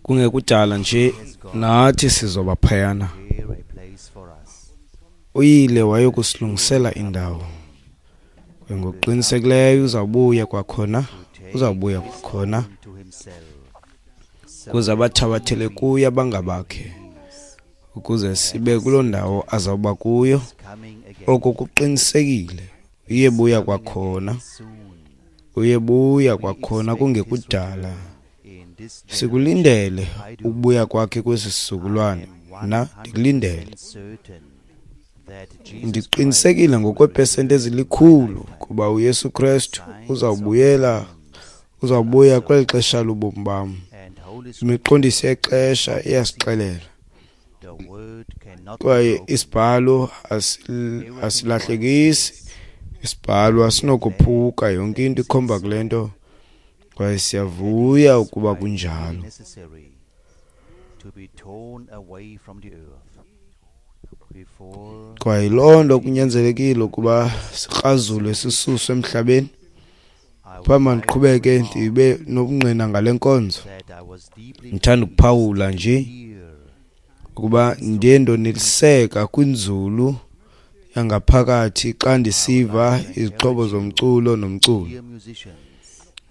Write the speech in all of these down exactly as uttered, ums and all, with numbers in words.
Kungekudala nje nathi sizoba phayana. Prepare a place for us. Uyile wayokusilungisela indawo. Kwaye ngokuqinisekileyo uzawubuya kwakhona, uzawubuya kwakhona To himself. ukuze abathabathele kuye abangabakhe, ukuze sibe kuloo ndawo azawuba kuyo. Coming again Oko kuqinisekile, uyebuya kwakhona, soon uyebuya kwakhona kungekudala. in this Sikulindele ukubuya kwakhe kwesi sizukulwane. Mna ndikulindele. certain that Jesus Ndiqinisekile ngokweepesenti ezilikhulu kuba uYesu Krestu uzawubuyela uzawubuya kweli xesha lobomi bam. and Holy Spirit, Imiqondiso yexesha iyasixelela the word cannot be kwaye broken. isibhalo asil- asilahlekisi, isibhalo asinokophuka, yonke into ikhomba kule nto kwaye siyavuya ukuba kunjalo. Necessary to be torn away from the earth before Kwaye loo nto kunyanzelekile ukuba sikrazulwe sisuswe emhlabeni. I Phambi mandiqhubeke ndibe nobungqina ngale nkonzo, that I was deeply ndithanda ukuphawula nje here ukuba ndiye ndoneliseka kwinzulu yangaphakathi xa ndisiva izixhobo zomculo nomculo. hear musicians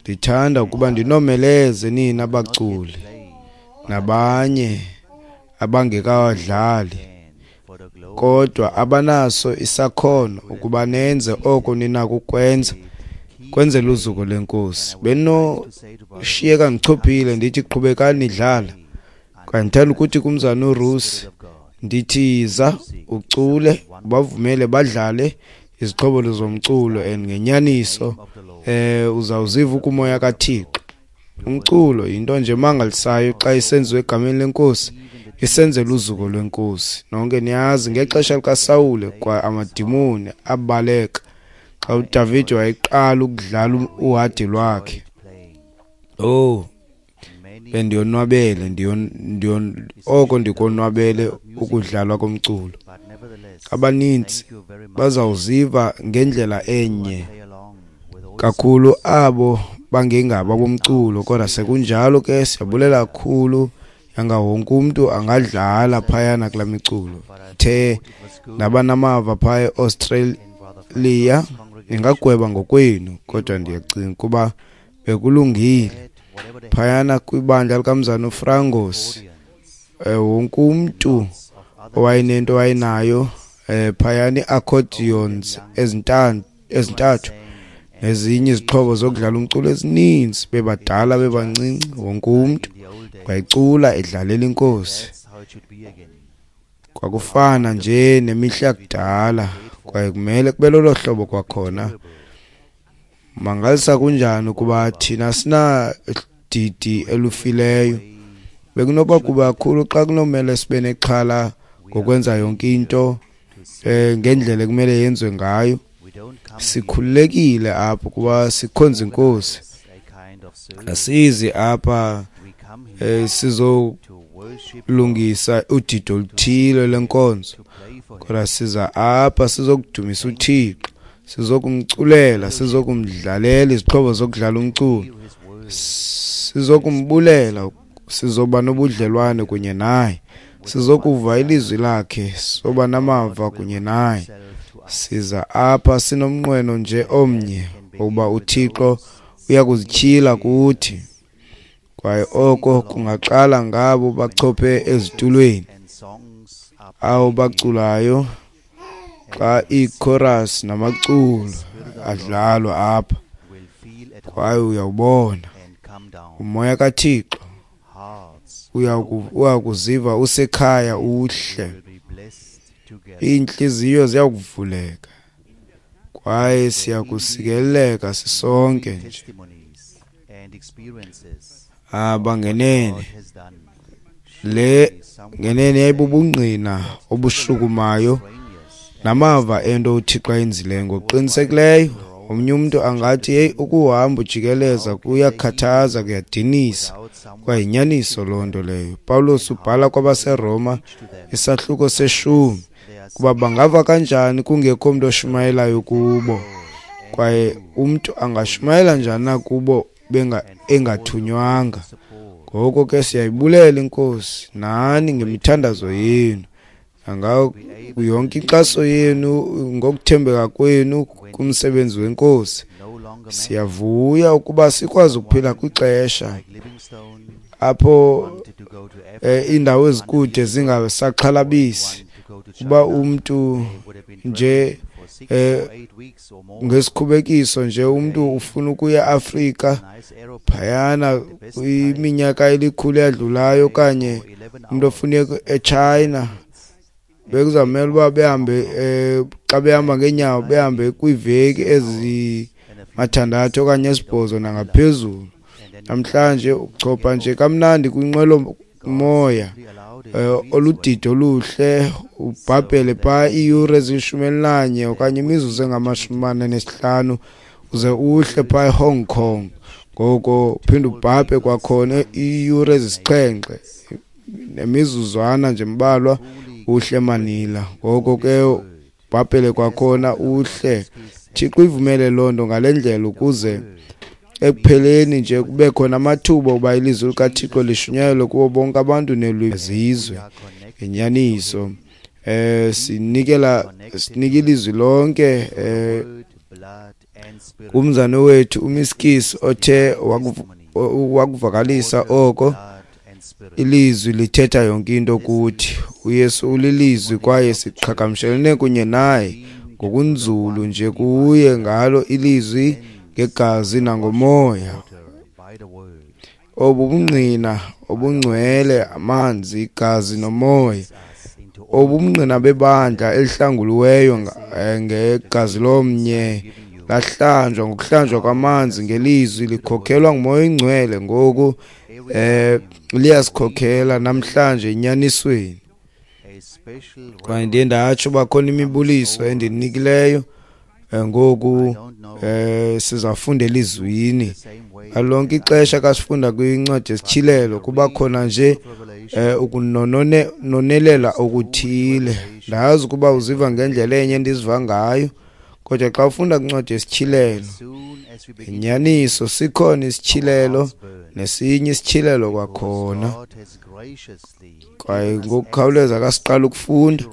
Ndithanda ukuba ndinomeleze nina baculi play nabanye abangekawadlali and for the glory kodwa abanaso isakhono ukuba nenze oko ninako ukwenza kwenzela uzuko lweNkosi. Benoshiyeka ndichophile ndithi qhubekani nidlala. Kwaye ndithanda ukuthi kumzana uRusi of God ndithi yiza ucule, ubavumele badlale izixhobo zomculo and ngenyaniso eh uzawuziva ukumoya kaThixo. Umculo yinto nje emangalisayo xa isenziwe egameni lenkosi, isenzela uzuko lwenkosi. Nonke niyazi ngexesha likaSawule kwa amadimoni abaleka xa uDavide wayeqala ukudlala uhadi lwakhe. playing Oh, many bendiyonwabele ndiyon ndiyon oko ndikonwabele ukudlalwa komculo. but nevertheless Abanintsi thank you very much bazawuziva ngendlela enye play along with all kakhulu abo bangengabo abomculo, kodwa sekunjalo ke siyabulela kakhulu yanga wonke umntu angadlala phayana kulaa miculo. The nabanamava phaya eAustralia ningagweba ngokwenu, kodwa ndiyacinga ukuba bekulungile that whatever the phayana kwibandla likamzana uFrangos. audience Eh, wonke umntu of other owayenento wayenayo eh phayana ii-accordions ezintan- ezintathu nezinye izixhobo zokudlala umculo ezininzi, bebadala bebancinci, wonke umntu in the old days wayecula edlalela inkosi. that's how it should be again Kwakufana nje nemihla yakudala kwaye kumele kube lolo hlobo kwakhona. Mangalisa kunjani ukuba thina sina didi elufileyo. Bekunoba kuba kakhulu xa kunomele sibe nexhala ngokwenza yonke into eh ngendlela ekumele yenziwe ngayo. we don't come Sikhululekile apho kuba sikhonza inkosi. a kind of service Asizi apha we come here eh sizolungisa to worship udidi oluthile lenkonzo, to play for him kodwa siza apha sizokudumisa uThixo, sizokumculela, sizokumdlalela izixhobo zokudlala umculo, hear his word sizokumbulela, sizoba nobudlelwane kunye naye, sizokuva ilizwi lakhe, soba namava kunye naye. self to us Siza apha sinomnqweno nje omnye ukuba uThixo uyakuzityhila kuthi, kwaye oko kungaqala ngabo bachophe ezitulweni, and songs are abo baculayo xa iichorus namaculo adlalwa apha, will feel at home kwaye uyawubona and come down umoya kaThixo hearts uyaku- uyakuziva usekhaya uhle, will be blessed together iintliziyo ziyakuvuleka kwaye siyakusikeleleka sisonke nje. testimonies and experiences Aba ngenene God has done le ngenene yayibubungqina obushukumayo strangers namava ento uThixo ayenzileyo. Ngokuqinisekileyo omnye umntu angathi heyi, ukuhamba ujikeleza kuyakhathaza, kuyadinisa, without someone kwaye yinyaniso loo nto leyo. Pawulos ubhala kwabaseRoma isahluko seshumi they are kuba bangava kanjani kungekho mntu oshumayelayo kubo, kwaye umntu angashumayela njani na kubo benga engathunywanga. support Ngoko ke siyayibulela iNkosi nani ngemithandazo yenu, nangayo yonke inkxaso yenu ngokuthembeka kwenu kumsebenzi weNkosi. Siyavuya ukuba sikwazi ukuphila kwixesha apho iindawo ezikude zingasaxhalabisi, uba umntu nje ngesikhubekiso nje umntu ufuna ukuya eAfrika phayana kwiminyaka elikhulu eyadlulayo, okanye umntu ofuna eChina bekuzamele uba behambe xa behamba ngeenyawo behambe kwiiveki ezimathandathu okanye esibhozo nangaphezulu. Namhlanje uchopha nje kamnandi kwinqwelomoya oludidi oluhle, ubhabhele phaa iiyure ezilishumi elinanye okanye imizuzu engamashumi amane nesihlanu uze uhle phaa eHong Kong. Ngoko uphinde ubhabhe kwakhona iiyure ezisixhenxe nemizuzwana nje mbalwa uhle eManila. Ngoko ke ubhabhele kwakhona uhle. Thixo ivumele loo nto ngale ndlela ukuze ekupheleni nje kube khona amathuba uba ilizwi likaThixo lishunyayelwe kubo bonke abantu neelwimi zizwe. Ngenyaniso eh sinikela sinika ilizwi lonke eh kumzane wethu uMiskis othe wakuvakalisa oko. Ilizwi lithetha yonke into kuthi. uYesu ulilizwi kwaye siqhagamshelene kunye naye ngokunzulu nje kuye ngalo ilizwi, ngegazi nangomoya. Obu bungqina obungcwele, amanzi, igazi nomoya, obu bungqina bebandla elihlanguliweyo ngegazi lomnye, lahlanjwa ngokuhlanjwa kwamanzi ngelizwi, likhokhelwa nguMoya oyiNgcwele. Ngoku eh liyasikhokhela namhlanje enyanisweni. Kwaye ndiye ndatsho uba khona imibuliso endinikileyo ngoku eh sizafunda elizwini. Lonke ixesha xa sifunda kwincwadi yesityhilelo kuba khona nje ukunonelela okuthile. Ndazi ukuba uziva ngendlela enye endiziva ngayo, kodwa xa ufunda kwincwadi yesityhilelo, inyaniso sikhona isityhilelo nesinye isityhilelo kwakhona. Kwaye ngokukhawuleza xa siqala ukufunda,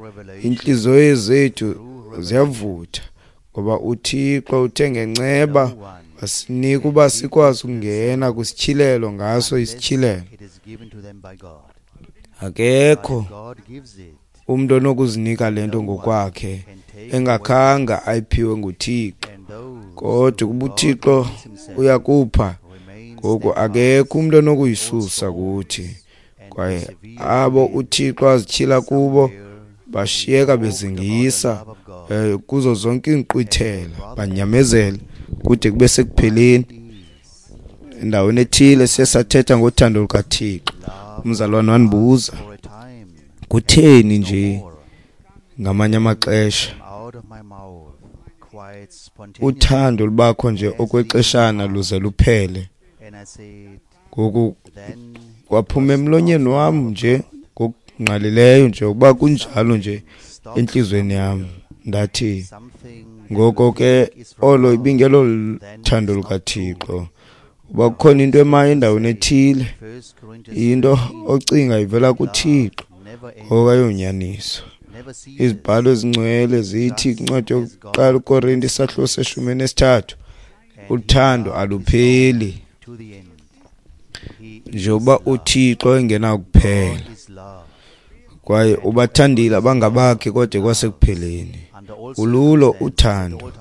iintliziyo zethu ziyavutha, ngoba uThixo uthe ngenceba wasinika uba sikwazi ukungena kwisityhilelo ngaso isityhilelo. Akekho umntu onokuzinika le nto ngokwakhe engakhanga ayiphiwe nguThixo, kodwa ukuba uThixo uyakupha, ngoku akekho umntu onokuyisusa kuthi. Kwaye abo uThixo azityhila kubo bashiyeka bezingisa kuzo zonke iinkqwithela, banyamezele kude kube sekupheleni. Endaweni ethile siye sathetha ngothando lukaThixo. Umzalwane wandibuza, kutheni nje ngamanye amaxesha uthando lubakho nje okwexeshana luze luphele? Ngoku kwaphuma emlonyeni wam nje ngokungqalileyo nje ukuba kunjalo nje entliziyweni yam. Ndathi, ngoko ke olo ibingelo thando lukaThixo. Uba kukhona into emayo endaweni ethile, into ocinga ivela kuThixo, ngoko ayonyaniso. Izibhalo ezingcwele zithi kwincwadi yokuqala uKorinte isahluko seshumi nesithathu, uthando alupheli njengoba uThixo engenakuphela, kwaye ubathandile abangabakhe kodwa kwasekupheleni. Ululo uthando,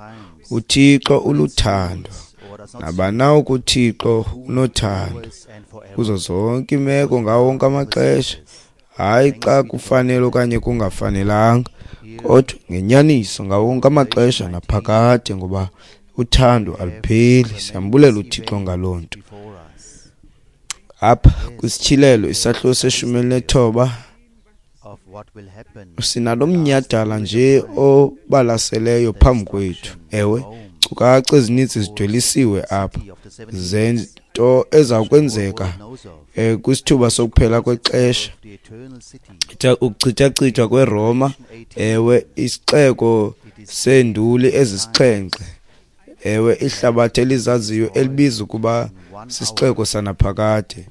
uThixo uluthando, nabanawo kuThixo unothando kuzo zonke imeko, ngawo wonke amaxesha, hayi xa kufanele okanye kungafanelanga, kodwa ngenyaniso ngawo wonke amaxesha naphakade, ngoba uthando alupheli. Siyambulela uThixo ngaloo nto. Apha kwisityhilelo isahluko seshumi elinethoba sinalo mnyhadala nje obalaseleyo phambi kwethu. Ewe, iinkcukacha ezininzi zidwelisiwe apha zento eza kwenzeka eh kwisithuba sokuphela kwexesha, ukuchithachithwa kweRoma, ewe, isixeko seenduli ezisixhenxe, ewe, ihlabathi elizaziyo elibiza ukuba sisixeko sanaphakade.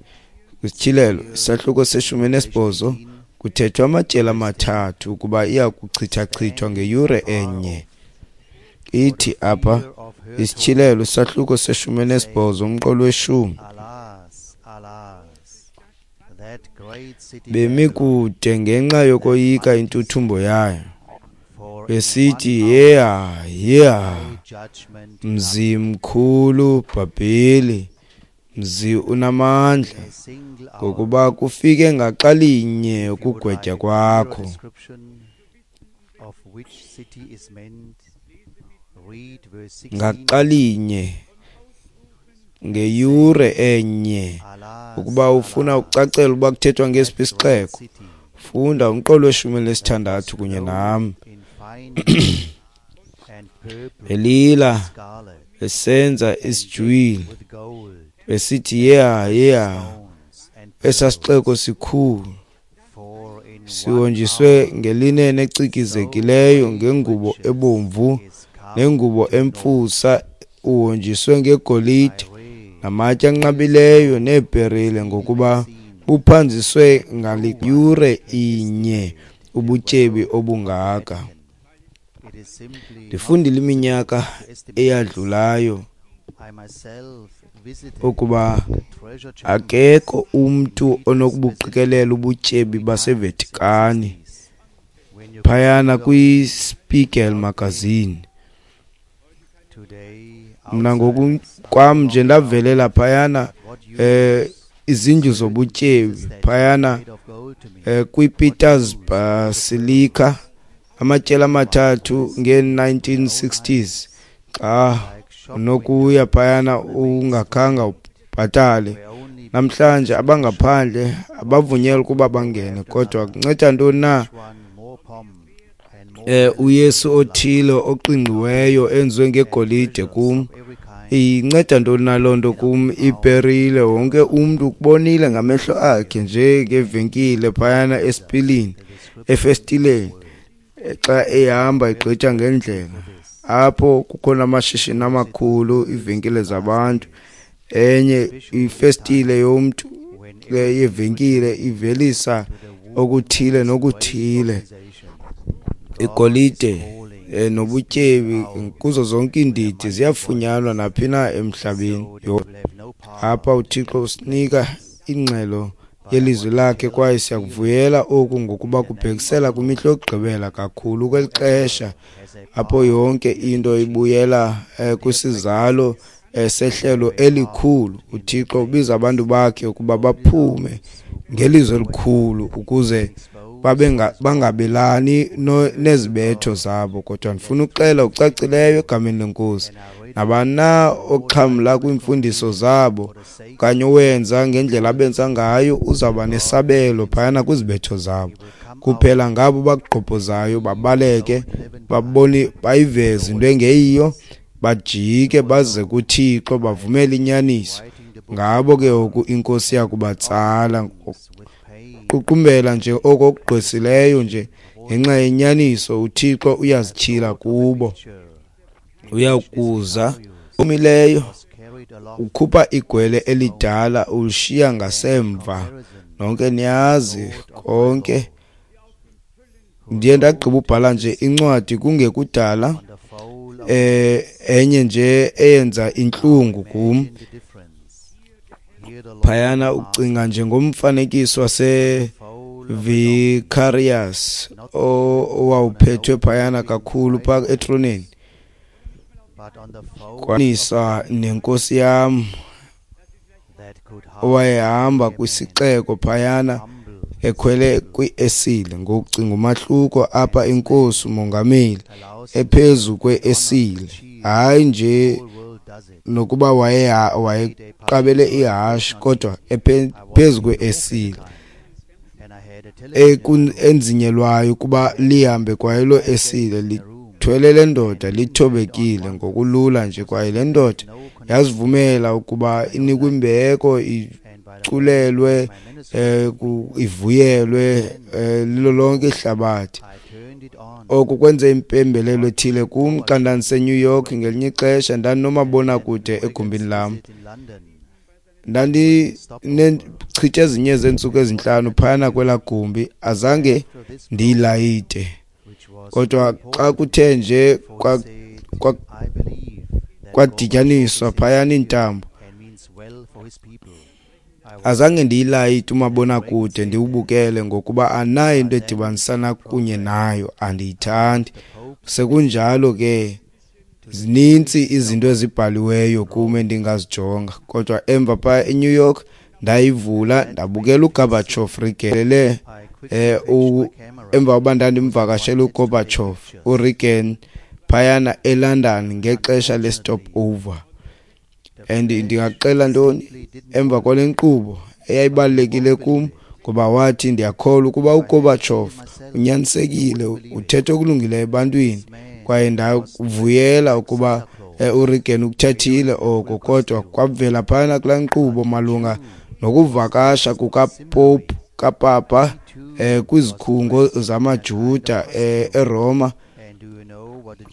KwiSityhilelo isahluko seshumi nesibhozo kuthethwa amatyeli amathathu ukuba iya kuchithachithwa ngeyure enye. Ithi apha iSityhilelo isahluko seshumi nesibhozo umqolo weshumi. Bemi kude ngenxa yokoyika intuthumbo yayo, besithi, yeha, yeha, mzi mkhulu Bhabheli, mzi unamandla, ngokuba kufike ngaxa linye ukugwetywa kwakho. Ngaxa linye, ngeyure enye. Ukuba ufuna ukucacela uba kuthethwa ngesiphi isixeko, funda umqolo weshumi nesithandathu kunye nam. Belila besenza isijwili, besithi, yeha, yeha, esaa sixeko sikhulu sihonjiswe ngelinene ecikizekileyo, ngengubo ebomvu nengubo emfusa, uhonjiswe ngegolide namatye anqabileyo neeperile, ngokuba buphanziswe ngaliyure inye ubutyebi obungaka. Ndifundile iminyaka eyadlulayo ukuba akekho umntu onokubuqikelela ubutyebi baseVatikani phayana kwiSpiegel magazine. Mna ngokwam nje ndavelela phayana eh izindlu zobutyebi phayana eh kwiPeters Basilica amatyeli amathathu nge nineteen sixties, xa unokuya phayana ungakhanga ubhatale. Namhlanje abangaphandle abavunyelwa ukuba bangene, kodwa kunceda ntoni na eh uYesu othile oqingqiweyo enziwe ngegolide kum? Inceda ntoni na loo nto kum? Iperile, wonke umntu ukubonile ngamehlo akhe nje ngevenkile phayana esipilini, efestileni, xa ehamba egqitha ngendlela. Apho kukhona amashishini amakhulu, iivenkile zabantu. Enye ifestile yomntu yevenkile ivelisa okuthile nokuthile, igolide nobutyebi kuzo zonke iindidi ziyafunyanwa naphi na emhlabeni. Apha uThixo usinika ingxelo yelizwi lakhe, kwaye siyakuvuyela oku ngokuba kubhekisela kwimihla yokugqibela kakhulu kweli xesha apho yonke into ibuyela kwisizalo sehlelo elikhulu. uThixo ubiza abantu bakhe ukuba baphume ngelizwi elikhulu ukuze bangabelani nezibetho zabo. Kodwa ndifuna ukuxela ucacileyo egameni leNkosi, nabani na oxhamla kwiimfundiso zabo okanye owenza ngendlela abenza ngayo uzawuba nesabelo phayana kwizibetho zabo. Kuphela ngabo bakugqobhozayo babaleke, babone, bayiveze into engeyiyo, bajike baze kuThixo, bavumele inyaniso. Ngabo ke ngoku iNkosi yakubatsala. Ququmbela nje oko okugqwesileyo nje ngenxa yenyaniso, uThixo uyazityhila kubo. Uyakuza omileyo, ukhupha igwele elidala ulishiya ngasemva. Nonke niyazi konke. Ndiye ndagqiba ubhala nje incwadi kungekudala, eh enye nje eyenza intlungu kum phayana, ucinga nje ngomfanekiso wase Vicarious owawuphethwe phayana kakhulu pha etroneni, kwanisa nenkosi yam owayehamba kwisixeko phayana ekhwele kwiesile. Ngokucinga umahluko apha, inkosi umongameli ephezu kweesile, hayi nje nokuba waye wayeqabele ihashe, kodwa ephezu kweesile enzinyelwayo ukuba lihambe kwaye lo esile lithwele le ndoda lithobekile ngokulula nje. Kwaye le ndoda yazivumela ukuba inikwe imbeko, iculelwe, eh ivuyelwe lilo lonke ihlabathi. Oku kwenze impembelelo ethile kum xa ndandiseNew York ngelinye ixesha. Ndandinomabonakude egumbini lam. Ndandichithe ezinye zeentsuku ezintlanu phayana kwelaa gumbi, azange ndiyilayite. Kodwa xa kuthe nje kwadityaniswa phayana iintambo, azange ndiyilayite umabonakude ndiwubukele, ngokuba anayo into edibanisana kunye nayo, andiyithandi. Sekunjalo ke zinintsi izinto ezibhaliweyo kum endingazijonga, kodwa emva phaa eNew York ndayivula ndabukela uGorbachev Reagan eh emva koba ndandimvakashela uGorbachev uReagan phayana eLondon ngexesha le-stop over. And ndingaxela ntoni emva kwale nkqubo eyayibalulekile kum, ngoba wathi ndiyakholwa ukuba uGorbachev unyanisekile, uthetha okulungileyo ebantwini, kwaye ndavuyela ukuba uReagan ukuthethile oko. Kodwa kwavela phayana kulaa nkqubo malunga nokuvakasha kukaPope kaPapa eh kwizikhungo zamaJuda eh eRoma,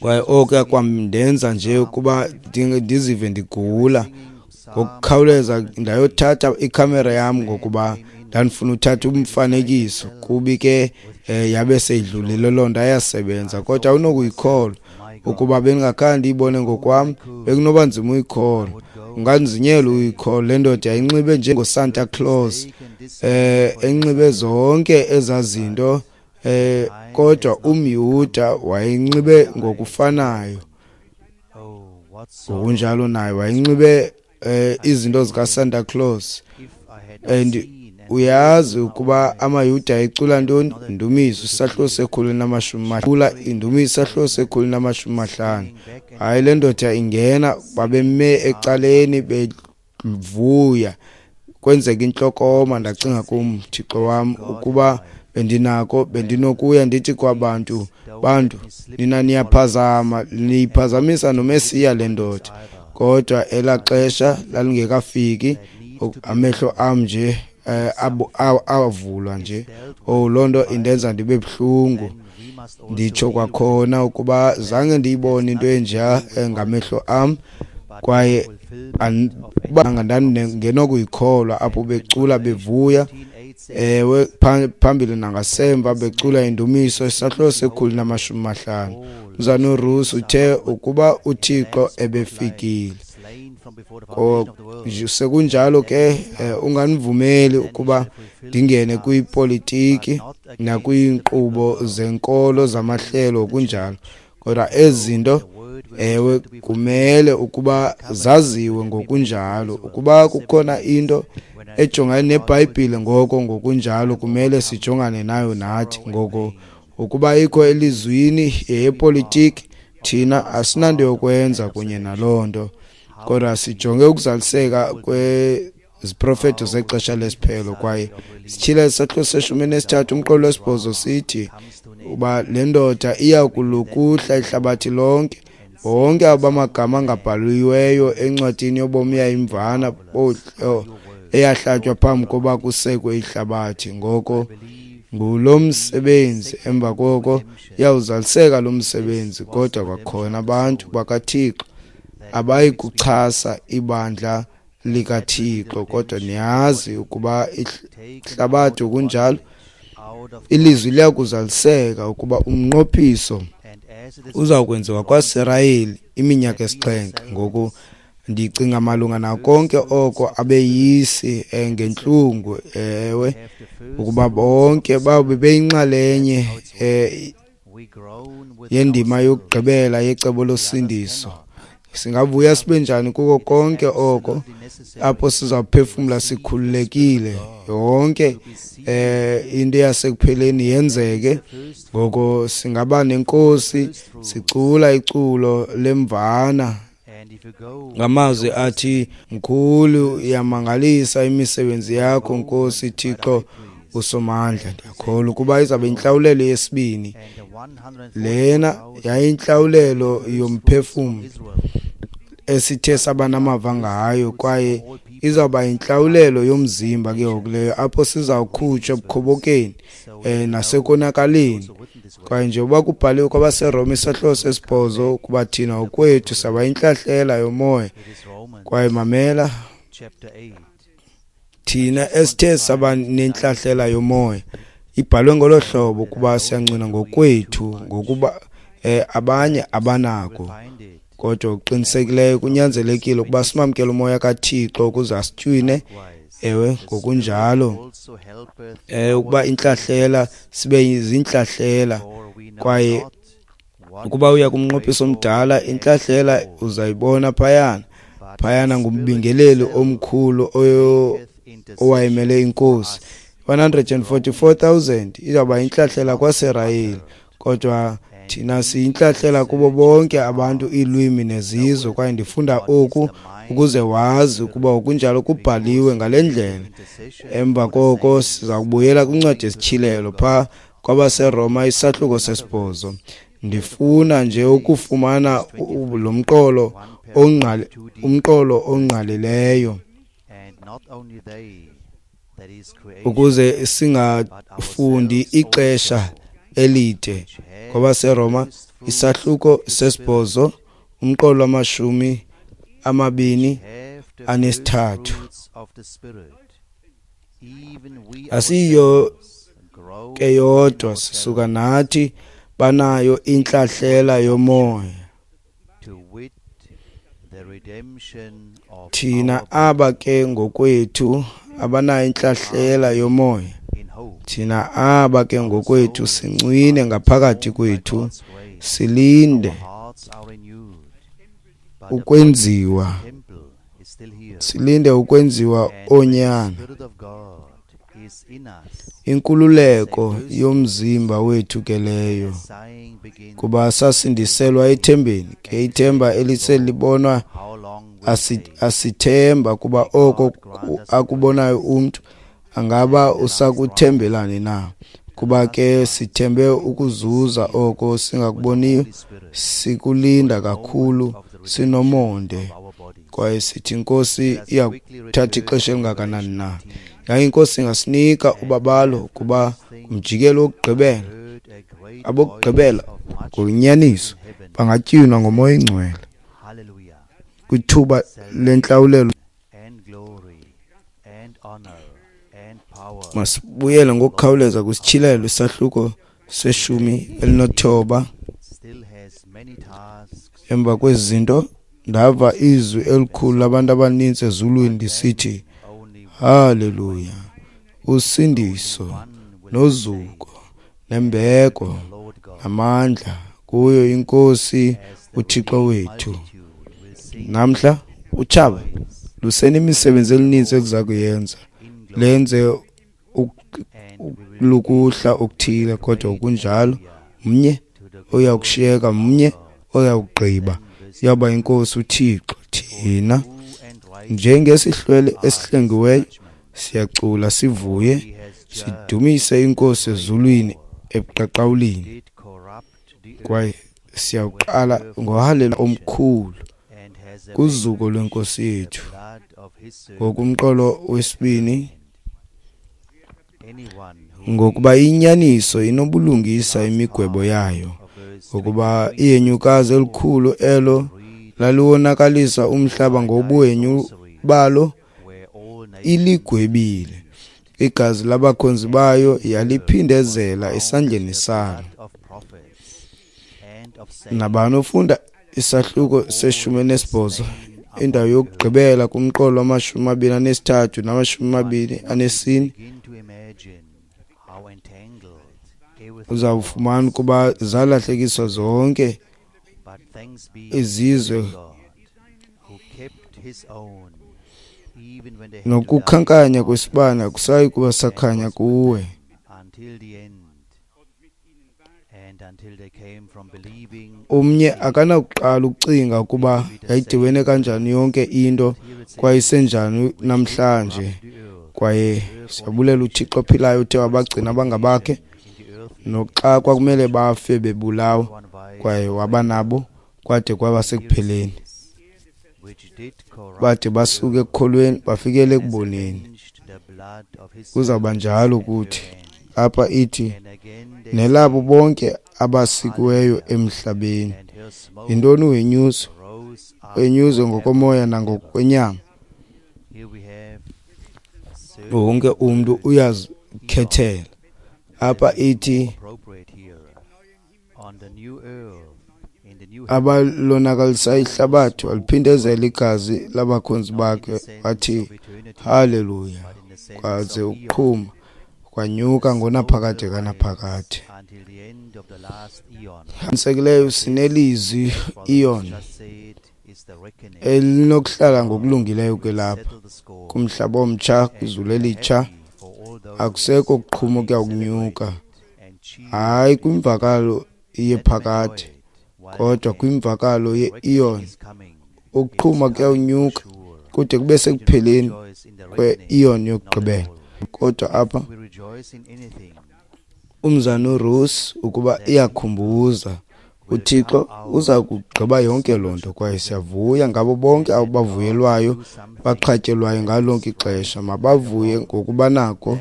kwaye oko kwamndenza nje ukuba ndizive ndigula. Ngokukhawuleza ndayothatha ikhamera yam ngokuba ndandifuna uthatha umfanekiso, kubi ke eh, yabe seyidlulile loo nto, ayasebenza. Kodwa awunokuyikholwa ukuba bendingakhange ndiyibone ngokwam, bekunoba nzima uyikholwa, unganzinyelwa uyikholwa. Le ndoda yayinxibe njengoSanta Claus, eh enxibe zonke ezaa zinto, eh kodwa umYuda wayenxibe ngokufanayo. Ngokunjalo naye wayenxibe eh izinto zikaSanta Claus. And uyazi ukuba amaYuda ecula ntoni? Indumiso isahluko sekhulu namashumi mahlanu, indumiso isahluko sekhulu namashumi mahlanu. Hayi, le ndoda ingena, babeme ecaleni bevuya, kwenzeka intlokoma. Ndacinga kum, Thixo wam, ukuba bendinako bendinokuya ndithi kwabantu, bantu nina niyaphazama, niyiphazamisa noMesiya le ndoda. Kodwa elaa xesha lalingekafiki, amehlo am nje avulwa nje. Oh, loo nto indenza ndibe buhlungu. Nditsho kwakhona ukuba zange ndiyibone into enjeya ngamehlo am, kwaye ndandingenokuyikholwa apho becula bevuya, ewe, phambili nangasemva becula indumiso isahluko sekhulu namashumi mahlanu. Mzalwana uRusi uthe ukuba uThixo ebefikile. Sekunjalo ke unganivumeli ukuba ndingene kwipolitiki nakwiinkqubo zenkolo zamahlelo kunjalo, kodwa ezi zinto ewe kumele ukuba zaziwe ngokunjalo. Ukuba kukhona into ejongane neBhayibhile, ngoko ngokunjalo kumele sijongane nayo nathi. Ngoko ukuba ikho elizwini yepolitiki, thina asinanto yokwenza kunye naloo nto, kodwa sijonge ukuzaliseka kweziprofeto zexesha lesiphelo. Kwaye sityhila isahluko seshumi nesithathu umqolo wesibhozo sithi uba le ndoda iya kulukuhla ihlabathi lonke, bonke abamagama angabhaliweyo encwadini yobomi yayimvana eyahlatywa phambi koba kusekwe ihlabathi. Ngoko ngulo msebenzi, emva koko iyawuzaliseka lo msebenzi. Kodwa kwakhona abantu bakaThixo abayi kuchasa ibandla likaThixo, kodwa niyazi ukuba ihlabathi kunjalo ilizwi liyakuzaliseka ukuba umnqophiso uzawukwenziwa kwaSirayeli iminyaka esixhenxe. Ngoku ndicinga malunga nako konke oko abeyisi ngentlungu, ewe, ukuba bonke babe beyinxalenye yendima yokugqibela yecebo losindiso. Singavuya sibe njani kuko konke oko apho sizawuphefumla sikhululekile, yonke eh into yasekupheleni yenzeke. Ngoko singaba nenkosi sicula iculo lemvana ngamazwi athi, mkhulu iyamangalisa imisebenzi yakho Nkosi Thixo uSomandla. Ndiyakholwa ukuba izabe intlawulelo yesibini lena yayintlawulelo yomphefumlo esithe saba namava ngayo, kwaye izawuba intlawulelo yomzimba ke ngoku leyo, apho sizawukhutshwa ebukhobokeni eh nasekonakaleni. Kwaye njengoba kubhaliwe kwabaseRoma isahluko sesibhozo ukuba thina okwethu saba intlahlela yomoya. Kwaye mamela, Thina esithe saba nentlahlela yomoya ibhalwe ngolo hlobo kuba siyancwina ngokwethu ngokuba eh, abanye abanako. Kodwa uqinisekileyo kunyanzelekile ukuba simamkele umoya kaThixo ukuze asitywine. Ewe, ngokunjalo eh ukuba intlahlela sibe zintlahlela. Kwaye ukuba uya kumnqophiso omdala, intlahlela uzayibona phayana phayana ngumbingeleli omkhulu owayemele inkosi. one hundred forty-four thousand izawuba intlahlela kwaSirayeli, kodwa thina siyintlahlela kubo bonke abantu, iilwimi nezizwe. Kwaye ndifunda oku ukuze wazi ukuba okunjalo kubhaliwe ngale ndlela. Emva koko siza kubuyela kwincwadi yesityhilelo phaa kwabaseRoma isahluko sesibhozo. Ndifuna nje ukufumana lo mqolo ongqali, umqolo ongqalileyo ukuze singafundi ixesha elide. KwabaseRoma isahluko sesibhozo, umqolo wamashumi amabini anesithathu. Asiyo ke yodwa, sisuka nathi banayo intlahlela yomoya. Thina aba ke ngokwethu abanayo intlahlela yomoya, thina aba ke ngokwethu sincwine ngaphakathi kwethu, silinde ukwenziwa, silinde ukwenziwa oonyana, inkululeko yomzimba wethu ke leyo, kuba sasindiselwa ethembeni. Ke ithemba eliselibonwa asithemba, kuba oko akubonayo umntu angaba usakuthembelani na? Kuba ke sithembe ukuzuza oko singakuboniyo, sikulinda kakhulu sinomonde. Kwaye sithi inkosi iyakuthatha ixesha elingakanani na? Yaye inkosi ingasinika ubabalo, kuba kumjikelo wokugqibela, abokugqibela ngonyaniso bangatywinwa ngomoya oyingcwele kwithuba lentlawulelo. Masibuyele ngokukhawuleza kwisityhilelo isahluko seshumi elinethoba. Emva kwezi zinto ndava izwi elikhulu labantu abaninzi ezulwini lisithi, Haleluya, usindiso nozuko nembeko namandla kuyo inkosi uThixo wethu. Namhla utshaba lusenemisebenzi elininzi eliza kuyenza, lenze lukuhla okuthile, kodwa kunjalo mnye oyakushiyeka, mnye oyakugqiba, yaba inkosi uThixo. Thina njengesihlwele esihlengiweyo siyacula sivuye, sidumise inkosi ezulwini ebuqaqawulini. Kwaye siyawuqala ngohalelo omkhulu kuzuko lwenkosi yethu. Ngokumqolo wesibini, ngokuba inyaniso inobulungisa imigwebo yayo, ngokuba ihenyukazi elikhulu elo laliwonakalisa umhlaba ngobuhenyu balo iligwebile, igazi labakhonzi bayo yaliphindezela esandleni salo. Nabani ofunda isahluko seshumi nesibhozo, indawo yokugqibela kumqolo wamashumi amabini anesithathu namashumi amabini anesine, uzawufumana ukuba zalahlekiswa zonke izizwe nokukhankanya kwesibane akusayi kuba sakhanya kuwe. Omnye akanakuqala ukucinga ukuba yayidibene kanjani yonke into kwaye isenjani namhlanje. Kwaye siyabulela uThixo ophilayo uthe wabagcina abangabakhe noxa kwakumele bafe bebulawa, kwaye waba nabo kwade kwaba sekupheleni, bade basuke ekukholweni bafikele ekuboneni. Kuzawuba njalo kuthi apha ithi nelabo bonke abasikiweyo emhlabeni. Yintoni uhenyuzo? Uhenyuzo ngokomoya nangokwenyama. Wonke umntu uyazikhethela. Apha ithi abalonakalisa ihlabathi waliphindezela igazi labakhonzi bakhe, wathi haleluya, kwaze ukuqhuma kwanyuka ngonaphakade kanaphakade. Qinisekileyo sinelizwi iyon elinokuhlala ngokulungileyo ke lapha kumhlaba omtsha, kwizulu elitsha. Akusekho kuqhuma okuya kunyuka, hayi kwimvakalo yephakade, kodwa kwimvakalo ye-eon. Ukuqhuma kuyawunyuka kude kube sekupheleni kwe-eon yokugqibela. Kodwa apha umzana uRusi ukuba iyakhumbuza, uThixo uza kugqiba yonke loo nto, kwaye siyavuya ngabo bonke abavuyelwayo baxhatyelwayo ngalo lonke ixesha. Mabavuye ngokuba nako.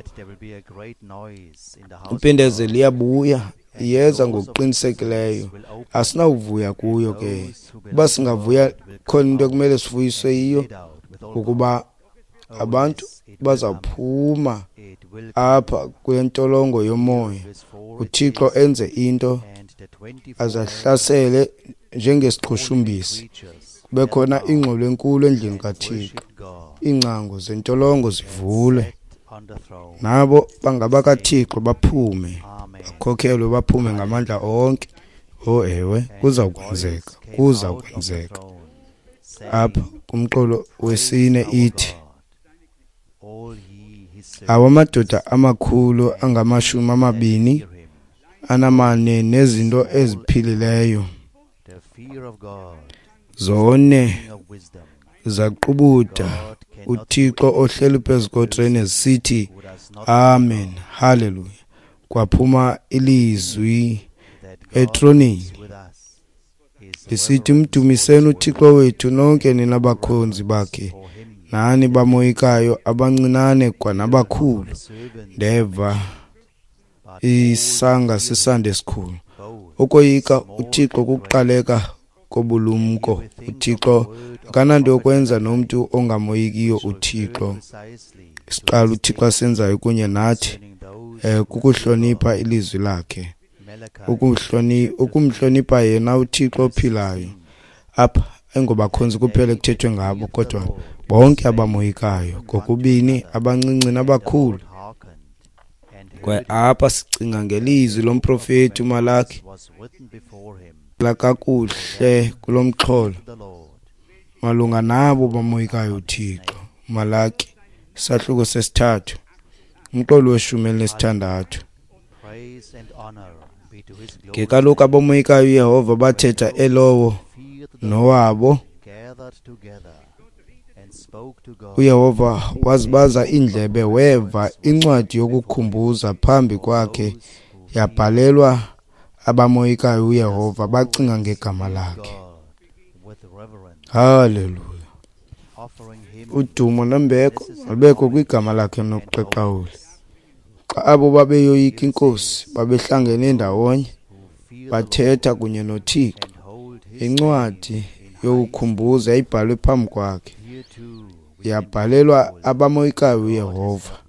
Impindezelo iyabuya, iyeza ngokuqinisekileyo. Asinawuvuya kuyo ke. Uba singavuya, khona into ekumele sivuyiswe yiyo, ukuba abantu bazawuphuma apha kule ntolongo yomoya, uThixo enze into azahlasele njengesiqhushumbisi, kube khona ingxolo enkulu endlini kaThixo, iingcango zentolongo zivulwe, nabo bangabakaThixo baphume, bakhokhelwe baphume ngamandla onke. Oh ewe, kuza kwenzeka, kuza kwenzeka. Apha kumqolo wesine ithi awamadoda amakhulu angamashumi amabini anamane nezinto eziphilileyo zone zaqubuda uThixo ohleli phezu kotrene zisithi amen, haleluya. Kwaphuma ilizwi etroneni lisithi, mdumiseni uThixo wethu nonke nina bakhonzi bakhe, nani bamoyikayo, abancinane kwanabakhulu. Ndeva isanga sisande esikhulu. Ukoyika uThixo kukuqaleka kobulumko. uThixo akananto yokwenza nomntu ongamoyikiyo uThixo. Isiqalo uThixo asenzayo kunye nathi eh kukuhlonipha ilizwi lakhe, ukuhloni ukumhlonipha yena uThixo ophilayo. Apha ayingobakhonzi kuphela ekuthethwe ngabo, kodwa bonke abamoyikayo, kokubini abancinci nabakhulu. Kwaye apha sicinga ngelizwi lomprofeti uMalaki lakakuhle kulo mxholo malunga nabo bamoyikayo uThixo. Malaki isahluko sesithathu, umqolo weshumi elinesithandathu. Ke kaloku abamoyikayo uYehova bathetha elowo nowabo. uYehova wazibaza iindlebe, weva incwadi yokukhumbuza phambi kwakhe, yabhalelwa abamoyikayo uYehova, bacinga ngegama lakhe. Haleluya! Udumo nembeko alubekho kwigama lakhe nokuqaqawula. Xa abo babeyoyika iNkosi babehlangene ndawonye, bathetha kunye noThixo. Incwadi yokukhumbuza yayibhalwe phambi kwakhe, yabhalelwa abamoyikayo uYehova.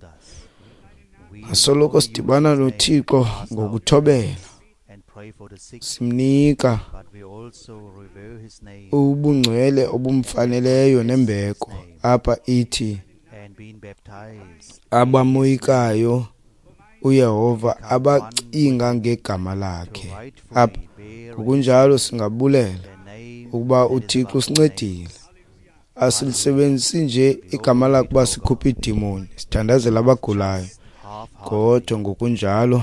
Asoloko sidibana noThixo ngokuthobela, simnika ubungcwele obumfaneleyo nembeko. Apha ithi abamoyikayo uYehova abacinga ngegama lakhe. Apha ngokunjalo singabulela ukuba uThixo usincedile. Asilisebenzisi nje igama lakhe uba sikhuphe iidimoni, sithandazela abagulayo, kodwa ngokunjalo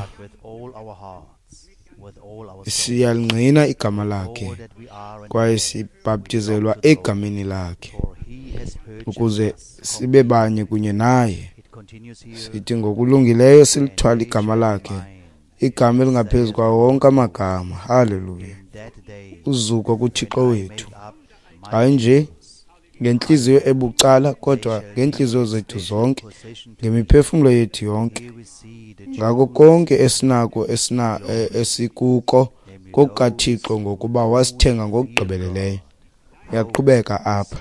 siyalingqina igama lakhe kwaye sibhaptizelwa egameni lakhe ukuze sibe banye kunye naye. Sithi ngokulungileyo silithwala igama lakhe, igama elingaphezu kwawo wonke amagama. Haleluya! Uzuko kuThixo wethu, hayi nje ngentliziyo ebucala, kodwa ngeentliziyo zethu zonke, ngemiphefumlo yethu yonke, ngako konke esinako esina esikuko kokukaThixo, ngokuba wasithenga ngokugqibeleleyo. Uyaqhubeka apha.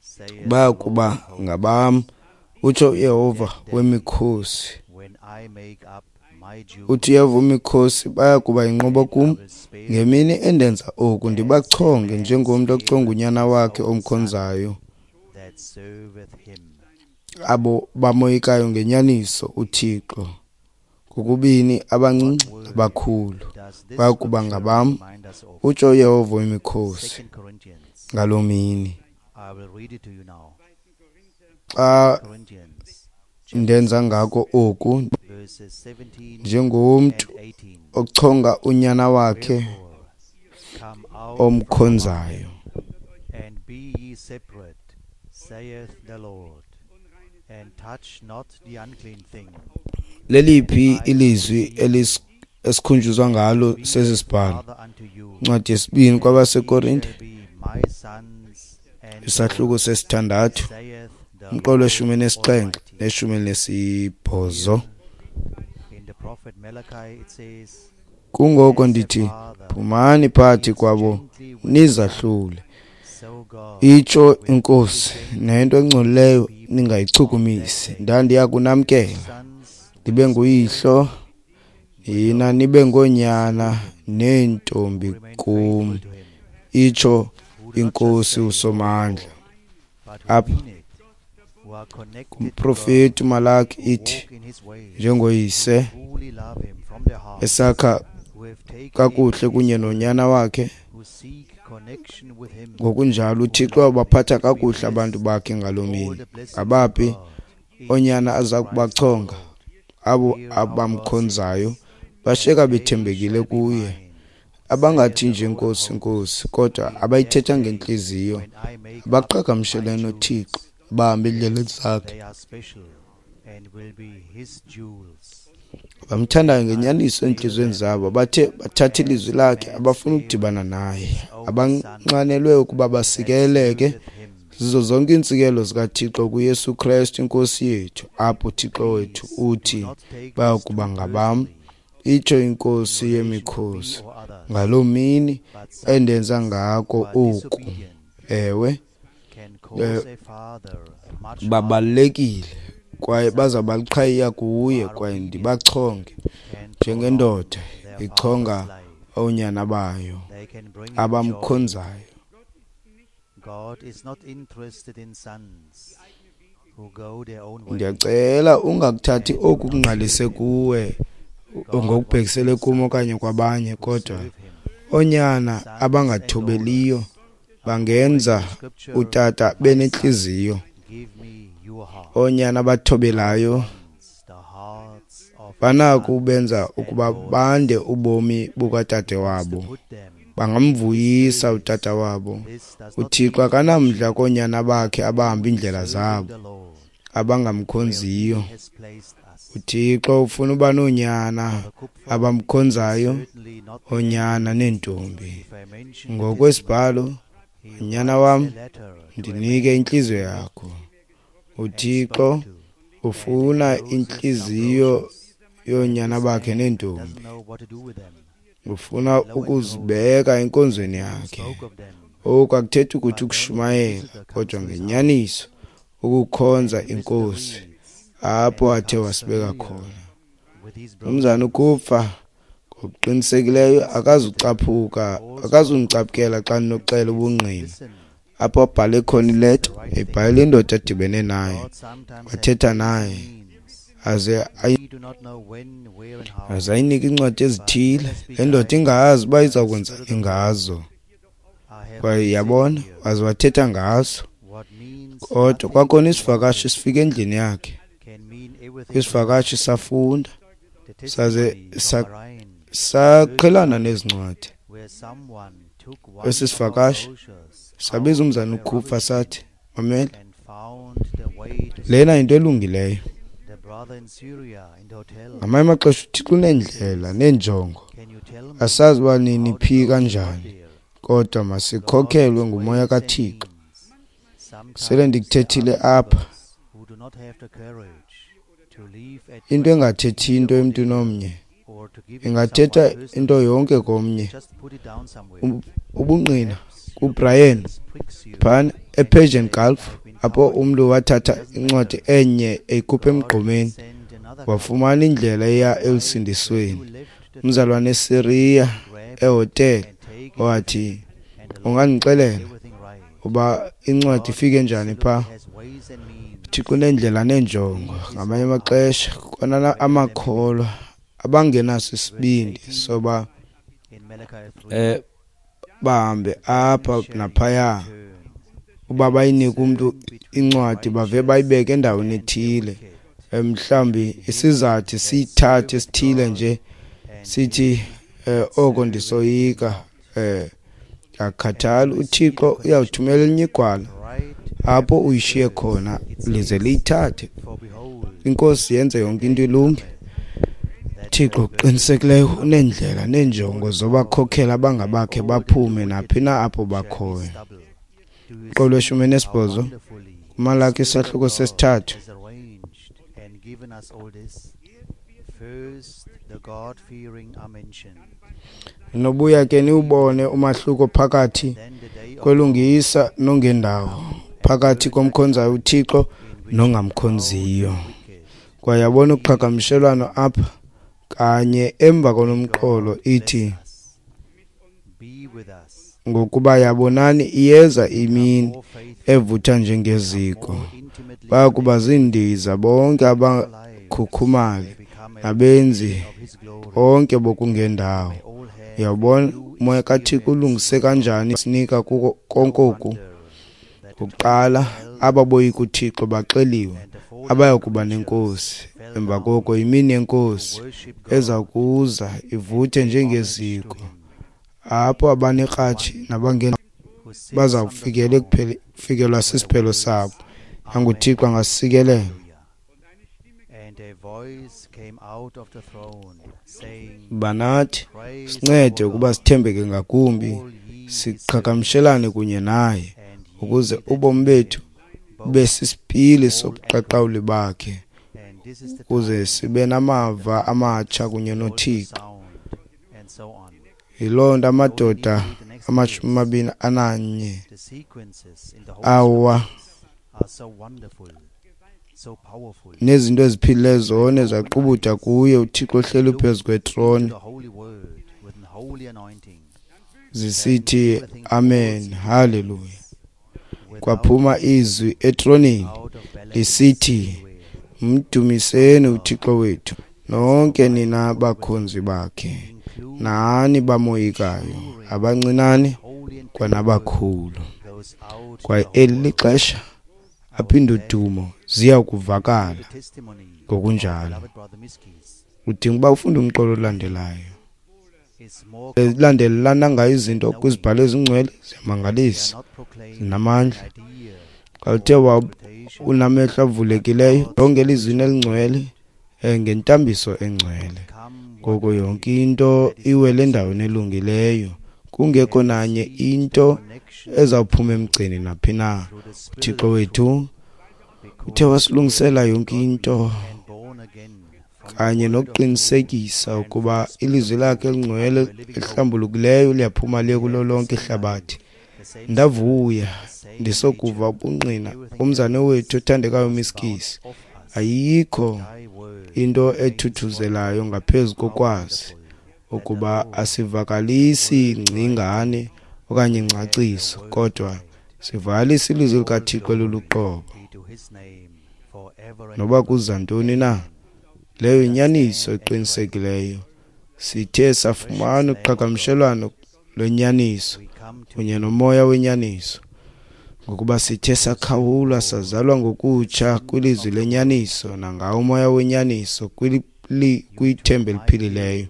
saith Baya the Lord kuba of hosts, ngabam, utsho uYehova wemikhosi. when I make up my jewels, Uthi uYehova wemikhosi, baya kuba yinqobo and I kum will spare ngemini endenza oku, ndibachonge njengomntu ochonga unyana wakhe omkhonzayo. that serveth him. Abo bamoyikayo ngenyaniso uThixo, kokubini abancinci nabakhulu, Does this baya kuba scripture ngabam, remind us of? utsho uYehova wemikhosi. Second Corinthians. Ngaloo mini I will read it to you now. xa Corinthians ndenza ngako oku, verses seventeen njengomntu and eighteen. ochonga unyana wakhe Wherefore, come out from among omkhonzayo. them, and be ye separate, saith the Lord, and touch not the unclean thing. Leliphi ilizwi elis- esikhunjuzwa ngalo Be sesi a sibhalo? father unto you, Incwadi yesibini and ye kwabaseKorinte, shall be my sons and isahluko daughters, sesithandathu, saith the umqolo Lord weshumi nesixhenxe Almighty. neshumi elinesibhozo. In the prophet Malachi it says, Kungoko As a ndithi, father phumani phakathi deals kwabo gently with his son, nizahlule, so God itsho will deal inkosi, gently nento with engcolileyo his people of that ningayichukumisi. day. Ndandiya kunamkela, Sons ndibe will nguyihlo, spare nina nibe ngoonyana neentombi who remain kum, faithful to him, itsho who do not just inkosi say, "Lord, uSomandla. Lord," but who Apha mean it, who are connected to God, kumprofeti uMalaki who ithi, walk in his ways, who njengoyise truly love him from their hearts, esakha who have taken him kakuhle at his kunye word, nonyana wakhe, who seek connection with him, ngokunjalo who uThixo love him. wabaphatha Be kakuhle abantu blessed bakhe ngaloo all mini. the blessings of Ngabaphi God in oonyana Jesus aza Christ our kubachonga? Lord. Abo Hear our God abamkhonzayo says, bashiyeka and they bethembekile shall be kuye, mine, saith abangathi the nje Lord of Nkosi, hosts, Nkosi, kodwa in that abayithetha day ngentliziyo, when I make up my abaqhagamshelene noThixo, jewels. bahambe endleleni Yes, zakhe, they are special and will be his jewels. bamthandayo And I will ngenyaniso spare entliziyweni them zabo, bathe bathatha ilizwi as a lakhe, man abafuna spareth ukudibana naye, his own son abanxanelwe ukuba that basikeleke serveth him. zizo zonke iintsikelelo zikaThixo kuYesu Kristu inkosi yethu. Apho uThixo wethu Please do uthi, not take baya this kuba too ngabam, personally itsho in inkosi relation to me yemikhosi, or others, ngaloo mini but endenza sons ngako who are oku. disobedient Ewe, can eh, cause a father much heartache. babalulekile kwaye Sons bazawuba liqhayiya who kuye, are kwaye obedient ndibachonge can prolong njengendoda their father's ichonga life. oonyana bayo They can bring him joy. abamkhonzayo. God is not interested in sons who go their own way Ndiyacela ungakuthathi and do oku not kungqalise serve him. kuwe God wants ngokubhekisele kum sons okanye kwabanye, who kodwa serve him, oonyana sons and abangathobeliyo daughters. According bangenza to scripture, utata my son, benentliziyo. give me your heart. Oonyana abathobelayo God wants the hearts of his banako sons ubenza and ukuba bande daughters. ubomi bukatade He wants to wabo, put them in his bangamvuyisa service. utata wabo. This does not UThixo mean akanamdla preaching, koonyana bakhe but abahamba means iindlela serving zabo, the Lord where abangamkhonziyo. he has placed us. UThixo ufuna uba noonyana Brother Kupfer is abamkhonzayo, certainly not the oonyana angry neentombi. if I mention the testimony. Ngokwesibhalo, He nyana writes a wam, letter to a ndinike man intliziyo he met yakho. and UThixo spoke to, and ufuna encloses some intliziyo brochures, and yoonyana this bakhe man neentombi. doesn't know what to do with them. Ufuna Lo and behold, ukuzibeka enkonzweni he yakhe. spoke of them. Oku akuthethi ukuthi But then a ukushumayela, visitor comes kodwa to his house, ngenyaniso ukukhonza and the visitor inkosi reads apho and athe becomes wasibeka familiar khona. with his Umzana brochures. uKupfa ngokuqinisekileyo And this visitor akazucaphuka, calls Brother akazundicapukela xa Kupfer and ndinoxela says, ubungqina. "Listen, Apho abhale khona this is ileta, the right thing. ebhalela indoda adibene naye, God sometimes has wathetha ways and naye, means. aze ayi We do not know when, where, and how, aze ayinike iincwadi but let ezithile. us be Le ndoda guided ingazi uba by the iza Spirit kwenzani of the Lord. ngazo. I have Kwaye been sitting yabona, here. waze wathetha ngazo. What means Kodwa nothing kwakhona to one isivakashi person sifika endlini yakhe. can mean everything to another. Isivakashi safunda, The saze testimony from sa- Bahrain saqhelana nezi ncwadi. where someone took one Esi of our sivakashi brochures sabiza out umzana of a uKupfa rubbish bin sathi, mamela, and found the way to lena safety. yinto elungileyo. The brother in Syria in the hotel Ngamanye amaxesha uThixo uneendlela says, neenjongo, "Can you tell me asazi uba nini how the phi brochure got kanjani, there?" kodwa God masikhokhelwe has ngumoya ways and kaThixo. means. Sele Sometimes there are ndikuthethile apha, believers who do not have the courage to leave a into tract engathethi here into or emntwini there omnye or to give it to ingathetha someone into personally. yonke komnye. Just put it down somewhere. Ub- Ubungqina Perhaps kuBrian phana ePersian Gulf, apho umntu wathatha incwadi enye eyikhupha emgqomeni wafumana indlela eya elusindisweni. Umzalwane eSyria ehotele wathi, ungandixelela uba incwadi ifike njani pha? Thixo unendlela nenjongo. Ngamanye amaxesha kona amakholwa abangenaso isibindi soba eh bahambe apha naphaya, uba bayinike umntu incwadi bave bayibeke endaweni ethile, mhlawumbi isizathu siyithathe sithile nje sithi oko ndisoyika, eh akhathali. UThixo uyawuthumela elinye igwala apho uyishiye khona lize liyithathe. INkosi yenze yonke into ilunge. Thixo uqinisekileyo unendlela nenjongo zobakhokhela abangabakhe baphume naphi na apho bakhoyo. Uqolo lweshumi nesibhozo kuMalaki isahluko sesithathu. Nobuya ke niwubone umahluko phakathi kwelungisa nongendawo, phakathi komkhonzayo uThixo nongamkhonziyo. Kwaye yabona uqhagamshelwano apha kanye emva konomqolo ithi, ngokuba yabonani iyeza imini evutha njengeziko, bayakuba ziindiza bonke abakhukhumali nabenzi bonke bokungendawo. Uyabona umoya kaThixo ulungise kanjani sinika kuko konke oku. Kuqala ababoyika uThixo baxeliwe abayakuba nenkosi. Emva koko imini yenkosi eza kuza ivuthe njengeziko, apho abanekratshi nabangena baza kufikela ekufikelwa sisiphelo sabo. AnguThixo angasikelela. Banathi sincede ukuba sithembeke ngakumbi, siqhagamshelane kunye naye, ukuze ubomi bethu bube sisipili sobuqaqawuli bakhe, ukuze sibe namava amatsha kunye noThixo. Yiloo nto amadoda amashumi amabini ananye awa nezinto eziphilileyo zone zaqubuda kuye uThixo ohleli phezu kwetrone, zisithi amen, haleluya. Kwaphuma izwi etroneni lisithi, mdumiseni uThixo wethu nonke nina bakhonzi bakhe, nani bamoyikayo, abancinane kwanabakhulu. Kwaye eli lixesha apho indudumo ziya kuvakala ngokunjalo. Udinga uba ufunde umqolo olandelayo. Zilandelelana ngayo izinto kwizibhalo ezingcwele, ziyamangalisa, zinamandla. Xa uthe unamehlo avulekileyo, lonke elizwini elingcwele ngentambiso engcwele, ngoko yonke into iwele endaweni elungileyo, kungekho nanye into ezawuphuma emgceni naphi na. UThixo wethu uthe wasilungisela yonke into kanye nokuqinisekisa ukuba ilizwi lakhe elingcwele elihlambulukileyo liyaphuma liye kulo lonke ihlabathi. Ndavuya ndisokuva ubungqina umzane wethu othandekayo Miskisi. Ayikho into ethuthuzelayo ngaphezu kokwazi ukuba asivakalisi ngcingane okanye ingcaciso, kodwa sivakalisa ilizwi likaThixo eluluqobo. Noba kuza ntoni na, leyo inyaniso eqinisekileyo. Sithe safumana uqhagamshelwano lwenyaniso kunye nomoya wenyaniso, ngokuba sithe sakhawulwa sazalwa ngokutsha kwilizwi lenyaniso nangawo umoya wenyaniso kwithemba eliphilileyo.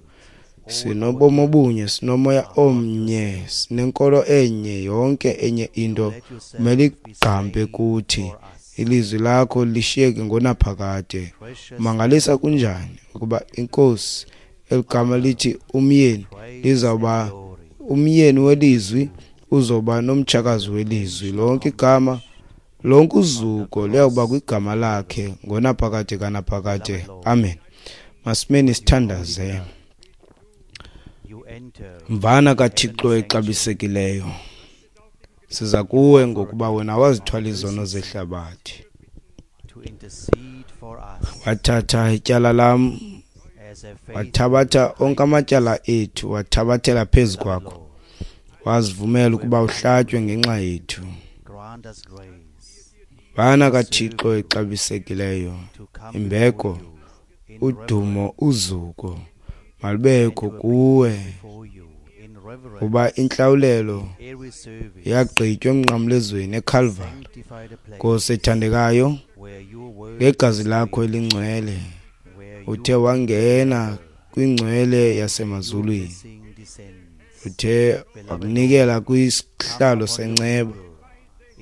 Sinobomi obunye, sinomoya omnye, sinenkolo enye, yonke enye into kumele igqampe kuthi. Ilizwi lakho lishiyeke ngonaphakade. Mangalisa kunjani ukuba inkosi eligama lithi umyeni lizawuba umyeni welizwi uzoba nomtshakazi welizwi. Lonke igama, lonke uzuko liyawuba kwigama lakhe ngonaphakade kanaphakade. Amen. Masimeni sithandaze. Mvana kaThixo exabisekileyo, Siza kuwe ngokuba wena wazithwala izono zehlabathi. To intercede for us Wathatha ityala lam, as a faithful wathabatha onke amatyala ethu, wathabathela phezu kwakho. Lord. Wazivumela ukuba uhlatywe ngenxa yethu. Grant us grace Bana kaThixo exabisekileyo, to come imbeko, before you in udumo, uzuko malubekho kuwe, before you in reverence kuba intlawulelo every service. yagqitywa emnqamlezweni eKalvari. Sanctify the place Nkosi ethandekayo, where your word ngegazi lakho elingcwele where uthe your wangena kwingcwele yasemazulwini, blessing descends. uthe wakunikela kwisihlalo senceba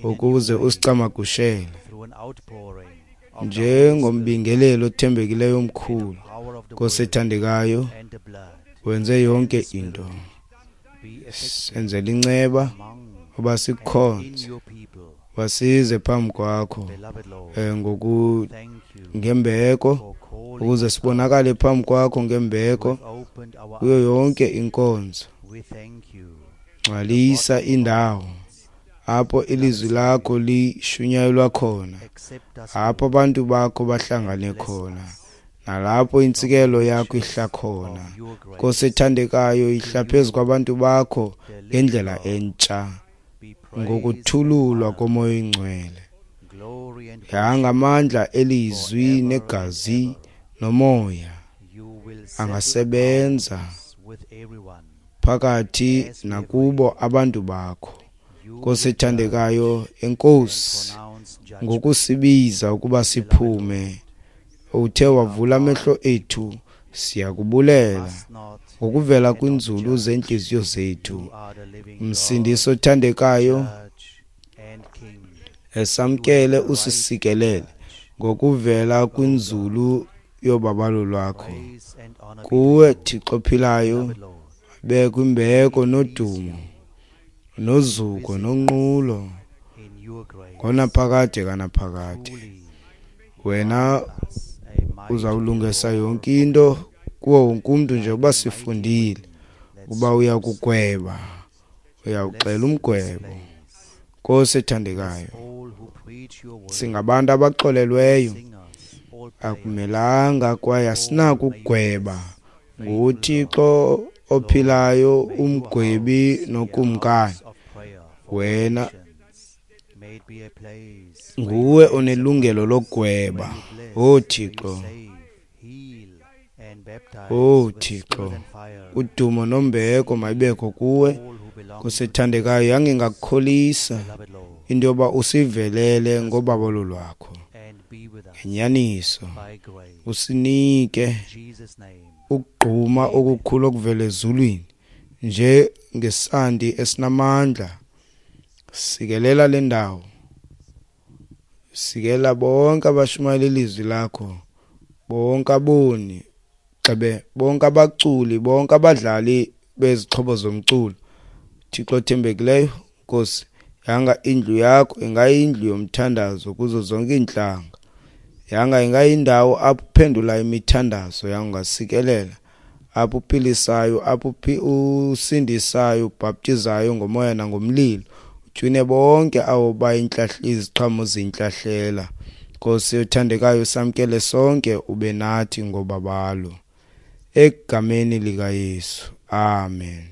ukuze usicamagushele Through an outpouring of the njengombingeleli othembekileyo omkhulu. power of the Nkosi word ethandekayo, and the blood wenze yonke into, be effective senzele inceba among uba and in sikukhonze, your people. wasize phambi kwakho Beloved Lord, eh, ngoku thank you ngembeko, for calling ukuze us out. sibonakale phambi kwakho You ngembeko have opened our kuyo eyes. yonke inkonzo. We thank you. Ngcwalisa indawo apho ilizwi lakho lishunyayelwa khona, Accept us, apho Lord, abantu bakho bahlangane bless khona, us nalapho intsikelo yakho ihla khona. of your grace. Nkosi ethandekayo, ihla phezu kwabantu bakho The living ngendlela God, entsha be praised ngokuthululwa and honored, komoya oyingcwele. glory and worship Yangamandla elizwi forever and negazi ever. nomoya You will settle angasebenza accounts with everyone. phakathi As we have nakubo abantu bakho. You Nkosi will judge ethandekayo, and enkosi pronounce judgment. ngokusibiza ukuba siphume. Uthe wavula amehlo ethu, siyakubulela Must not ngokuvela kwinzulu zentliziyo zethu. You are the living Msindisi othandekayo, God, judge and King. esamkele usisikelele ngokuvela kwinzulu yobabalo lwakho. Praise and honor be to Kuwe you, Thixo ophilayo, beloved Lord. bekho imbeko nodumo nozuko nonqulo In your grace, ngonaphakade kanaphakade. truly Wena us a mighty uzawulungisa roar yonke into kuwo wonke umntu, njengoba sifundile that uba uyakugweba, uyawuxela umgwebo. place. Nkosi ethandekayo, All who preach your word, singabantu abaxolelweyo, singers, all players, akumelanga kwaye asinako ukugweba. NguThixo ophilayo, umgwebi nokumkani. house of prayer for Wena nations. May it be a place where nguwe onelungelo lokugweba. you bless, O where you Thixo, save, heal, and baptize O with Thixo, spirit and fire udumo nombeko mayibekho kuwe. all who belong Nkosi to ethandekayo, yangingakukholisa beloved Lord, into yoba usivelele ngobabalo lwakho and be with us ngenyaniso, by grace. usinike In Jesus' name, ukugquma okukhulu okuvela ezulwini nje ngesandi esinamandla. Sikelela le ndawo, sikela bonke abashumayela ilizwi lakho, bonke aboni gxebe, bonke abaculi, bonke abadlali bezixhobo zomculo. Thixo othembekileyo, Nkosi, yanga indlu yakho ingayindlu yomthandazo kuzo zonke iintlanga. Yanga ingayindawo apho uphendula imithandazo, yanga ungasikelela apho uphilisayo, apho uphi- usindisayo, ubhaptizayo ngomoya nangomlilo, utywine bonke abo bayintlahla iziqhamo zintlahlela. Nkosi othandekayo, samkele sonke, ube nathi ngobabalo, egameni likaYesu, amen.